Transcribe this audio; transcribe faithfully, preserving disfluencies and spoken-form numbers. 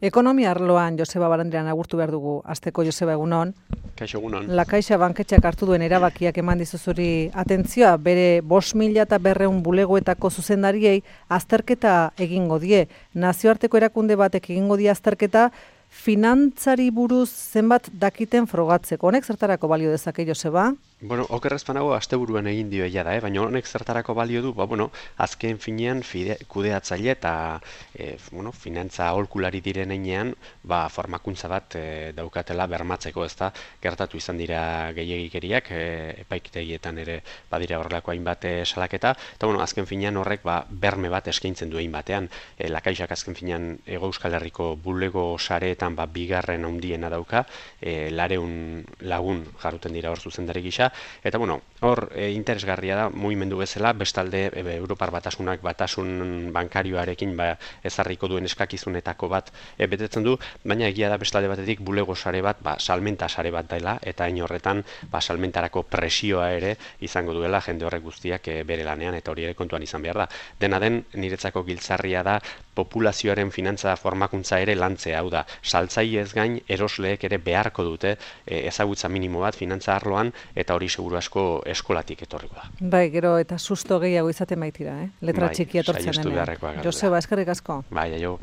Ekonomia arloan Joseba Barandiaran agurtu behar dugu. Asteko Joseba, egunon. Kaixo, egunon. La Caixa banketxeak hartu duen erabakiak eman dizuzuri atentzioa, bere bost mila eta berreun bulegoetako zuzendariei azterketa egingo die. Nazioarteko erakunde batek egingo die azterketa, finantzari buruz zenbat dakiten frogatzeko. Honek zertarako balio dezake, Joseba? Bueno, okerrez panago asteburuan egin dio ella da, eh? Baina honek zertarako balio du, ba, bueno, azken finean fide, kudeatzaile eta e, bueno, finantza aholkulari diren heinean, ba, formakuntza bat e, daukatela bermatzeko, ezta, gertatu izan dira gehiegikeriak, e, epaitegietan ere badira horrelako hainbat e, salaketa, eta bueno, azken finean horrek ba, berme bat eskaintzen du hainbatean, e, La Caixak azken finean Hego Euskal Herriko bulego sareetan ba, bigarren handiena dauka, e, lareun lagun jarruten dira hor zuzendari gisa, eta bueno, hor e, interesgarria da mugimendu bezala, bestalde e, Europar Batasunak batasun bankarioarekin ba, ezarriko duen eskakizunetako bat e, betetzen du, baina egia da bestalde batetik bulego sare bat, ba, salmenta sare bat dela, eta hain horretan ba, salmentarako presioa ere izango duela jende horrek guztiak e, bere lanean, eta hori ere kontuan izan behar da. Dena den, niretzako giltzarria da populazioaren finantza formakuntza ere lantzea, hau da, saltzaileez gain erosleek ere beharko dute e, ezagutza minimo bat finantza arloan, eta hori seguru asko eskolatik etorriko da. Bai, gero eta susto gehiago izaten baitira, eh? Letra bai, txikia etortzen denean. beharrekoa gara. Joseba, eskerrik asko. Bai, aio.